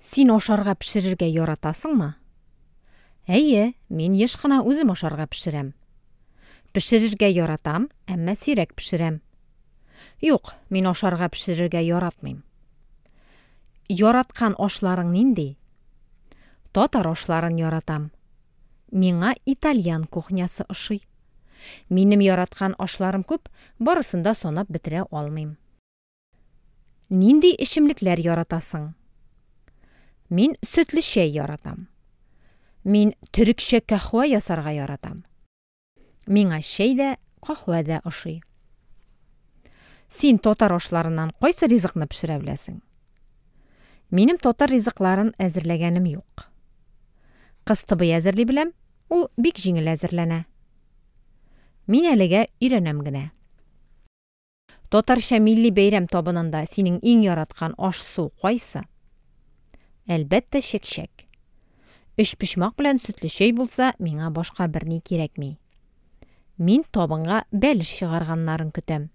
Син ашарга пешерергә яратасыңмы? Әйе, мин еш кына үзем ашарга пешерәм. Пешерергә яратам, әмма сирәк пешерәм. Юк, мин ашарга пешерергә яратмыйм. Яраткан ашларың нинди? Татар ашларын яратам. Миңа итальян кухнясы ошый. Минем яраткан ашларым күп, барысын да санап бетерә алмыйм. Нинди эчемлекләр яратасың? Мин сөтле чәй яратам. Мин төрекчә каһвә ясарга яратам. Миңа чәй дә, каһвә дә ошый. Син татар ашларыннан кайсы ризыкны пешерә беләсең? Минем татар ризыкларын әзерләгәнем юк. Кыстыбый әзерли беләм, ул бик җиңел әзерләнә. Мин әлегә өйрәнәм генә. Татарча милли бәйрәм табынында синең иң яраткан аш-су кайсы? Әлбәттә, чәкчәк. Өчпочмак белән сөтле чәй булса, миңа башка берни кирәкми. Мин табынга бәлеш чыгарганнарын көтәм.